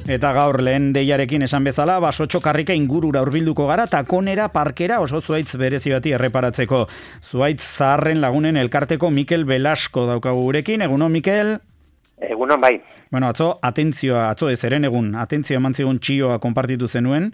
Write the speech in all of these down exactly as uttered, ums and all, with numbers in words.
Eta gaur lehen deiarekin esan bezala, Basotxo karrika ingurura hurbilduko gara, takonera parkera oso zuaitz berezi bati erreparatzeko. Zuaitz zaharren lagunen elkarteko Mikel Belasko daukagu gurekin. Egunon, Mikel? Egunon, bai. Bueno, atzo, atentzioa, atzo ez, eren egun, atentzioa eman zigun txioa konpartitu zenuen.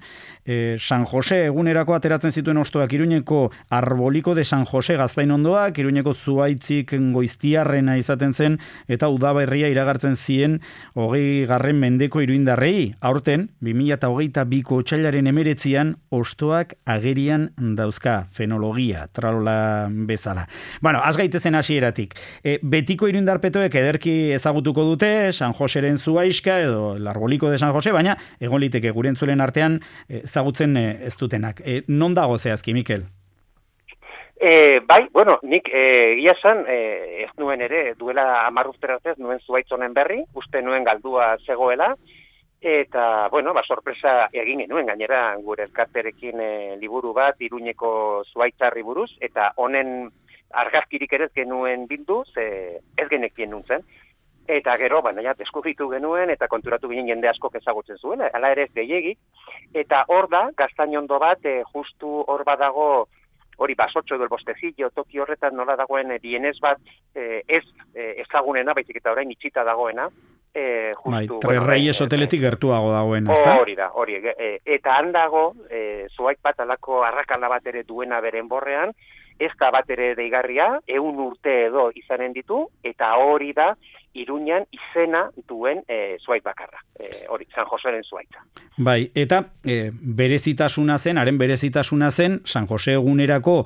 E, San Jose egunerako ateratzen zituen ostoak Iruñeko Arboliko de San Jose gaztain ondoak, Iruñeko zuaitzik goiztiarrena izaten zen, eta udaberria iragartzen zien hogei garren mendeko iruindarrei. Aurten, bi mila hogeita biko otsailaren emeretzian, ostoak agerian dauzka, fenologia, tralola bezala. Bueno, az gaitezen hasieratik. E, betiko iruindarpetoek ederki ezagutuko dute, San Joseren zuaiska edo el Arboliko de San Jose, baina egon liteke gure entzulen artean ezagutzen ez dutenak. E, non dago zehazki, Mikel? E, bai, bueno, nik egia e, esan, e, ez nuen ere, duela hamar urtera arte ez nuen zuaitz honen berri, uste nuen galdua zegoela, eta, bueno, ba, sorpresa egin genuen gainera gure elkarterekin e, liburu bat, Iruñeko zuaitzarri buruz, eta honen argazkirik ere ez genuen bildu, ze ez genekien nuntzen. Eta gero, baina ja, deskubritu genuen eta konturatu ginen jende askok ezagutzen zuen, hala ere ez gehiegi. Eta hor da, gaztainondo bat, e, justu hor badago, hori Basotxo edo el Bostecillo, toki horretan nola dagoen e, bienez bat, e, ez e, ezagunena, baizik eta orain itxita dagoena. E, justu, bai, Tres bueno, Reyes hoteletik gertuago dagoen, ez da? Hori da, hori. E, eta handago, e, zuaitz bat alako arrakala bat ere duena beren borrean, ez da bat ere deigarria, ehun urte edo izanen ditu, eta hori da, Iruñan izena duen e, zuaitz bakarra, e, hori, San Joseren zuaitza. Bai, eta e, berezitasuna zen, haren berezitasuna zen, San Jose egunerako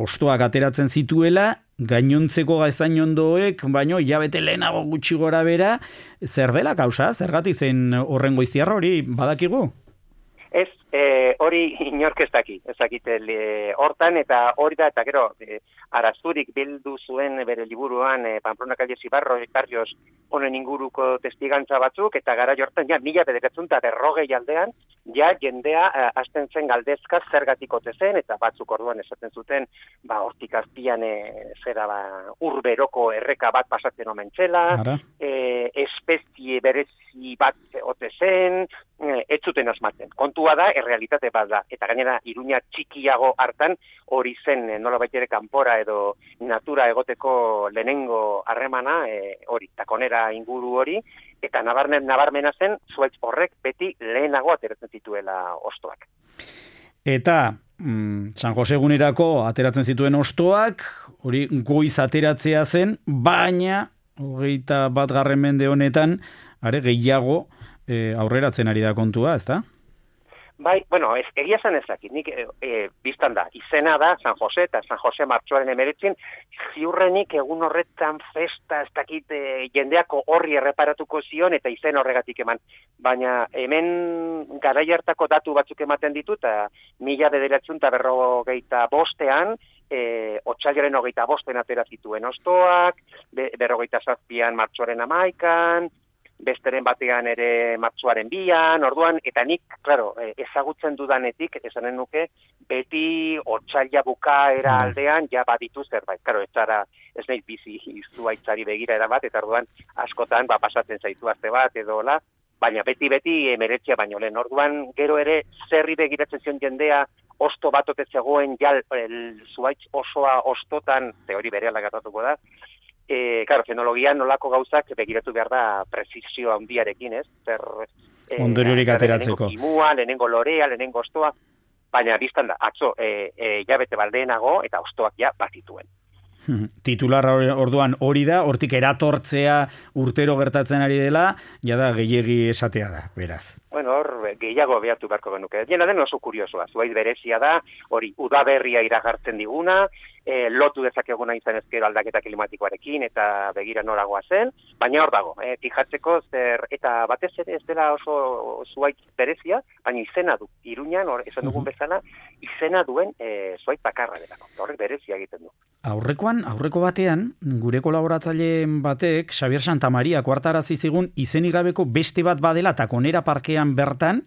ostoak ateratzen zituela, gainontzeko gaztainondoek, baino, hilabete lehenago gutxi gora bera, zer dela kausa, zergatik zen horren goiztiarra hori badakigu? Ez, e, hori inork ez daki, ez dakite hortan, eta hori da, eta gero, e, arazurik bildu zuen bere liburuan, e, Pamplona Calles y Barrios honen inguruko testigantza batzuk, eta gara jortan, ja, mila bederatzen eta berrogei aldean, ja, jendea e, hasten zen galdezka zergatik ote zen, eta batzuk orduan esaten zuten, ba, hortik azpian, e, zera, ba, urberoko erreka bat pasatzen omen txela, e, espezie berezi bat ote zen, e, ez zuten asmatzen. Kontua da, errealitate bat da, eta gainera Iruña txikiago hartan, hori zen, nola baitere kanpora edo natura egoteko lehenengo harremana, e, hori, takonera inguru hori, eta nabarmen, nabarmena zen, zuaitz horrek beti lehenago ateratzen zituela ostoak. Eta mm, San Jose egunerako ateratzen zituen ostoak, hori goiz ateratzea zen, baina hogeita bat garren mende honetan, are gehiago e, aurreratzen ari da kontua, ezta? Bai, bueno, ez, egia zen ezakit, nik e, e, biztan da, izena da San Jose eta San Jose martxoaren emeretzin, ziurrenik egun horretan festa, ez dakit e, jendeako horri erreparatuko zion eta izen horregatik eman. Baina hemen garai hartako datu batzuk ematen ditu, eta mila bederatzen eta berrogeita bostean, e, otsailaren hogeita bosten atera zituen ostoak, be, berrogeita zazpian martxoaren amaikan, besteren batean ere martxoaren bian, orduan, eta nik, claro, ezagutzen dudanetik, esanen nuke, beti otsaila bukaera aldean, ja baditu zerbait. Claro, ez zara, ez nahi bizi zuaitzari begira erabat, eta orduan, askotan, ba, pasatzen zaitu aste bat, edo la, baina beti-beti emeretzia baino lehen. Orduan, gero ere, zerri begiratzen zion jendea, osto bat ote zegoen, jal, el, zuaitz osoa ostotan, ze hori berehala gatatuko da, E, claro, fenologian nolako gauzak begiratu behar da prezisio handiarekin, ez? Zer, e, ondoriorik ateratzeko. Lehenengo kimua, lehenengo lorea, lehenengo ostoa, baina biztan da, atzo, e, e, jabete baldeenago eta ostoak ja bazituen. Titular orduan hori da, hortik eratortzea urtero gertatzen ari dela, jada gehiegi esatea da, beraz. Bueno, hor gehiago behartu beharko genuke. Jena den oso kuriosoa, zuaiz berezia da, hori udaberria iragartzen diguna, e, lotu dezakeguna izan ezkero aldaketa klimatikoarekin eta begira noragoa zen, baina hor dago, e, fijatzeko zer, eta batez ere ez dela oso zuaiz berezia, baina izena du, Iruñan, hor, esan dugun bezala, izena duen e, zuaiz bakarra delako, horrek berezia egiten du. Aurrekoan, aurreko batean, gure kolaboratzaile batek, Xavier Santamaria kuartarazi zigun izenik gabeko beste bat badela takonera parkean bertan,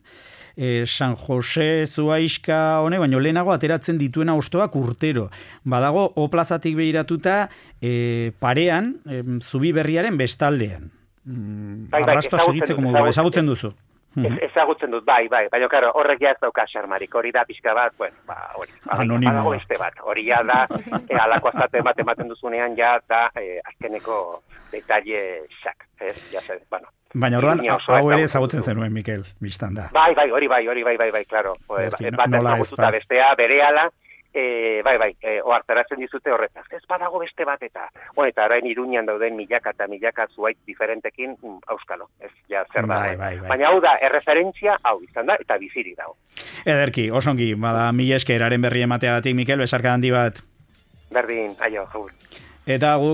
eh, San Jose zuaiska hone, baino lehenago ateratzen dituena ostoak urtero. Badago, O plazatik behiratuta, eh, parean, eh, zubi berriaren bestaldean. Mm, bai, bai, arrastoa segitzeko modu, ezagutzen duzu. Ez, ezagutzen dut, bai, bai, baina, karo, horrek ja ez dauka xarmarik, hori da pixka bat, bueno, ba, hori, badago beste bat, hori ja da, e, alako azate bat ematen duzunean, ja da, e, azkeneko detalle xak, ez, ja zer, bueno. Baina orduan, hau ere ezagutzen zenuen, Mikel, biztan da. Bai, bai, hori bai, hori bai, bai, bai, klaro, bat ezagututa bestea, berehala, E, bai, bai, e, oartaratzen dizute horretaz. Ez badago beste bat eta, bueno, eta orain Iruñan dauden milaka eta milaka zuait diferentekin, mm, auskalo, ez, ja, zer da. Bai, bai, bai. Baina hau da, erreferentzia, hau izan da, eta biziri dago. Ederki, osongi, bada, mila esker, haren berri emateagatik, Mikel, besarka handi bat. Berdin, aio, jaur. Eta gu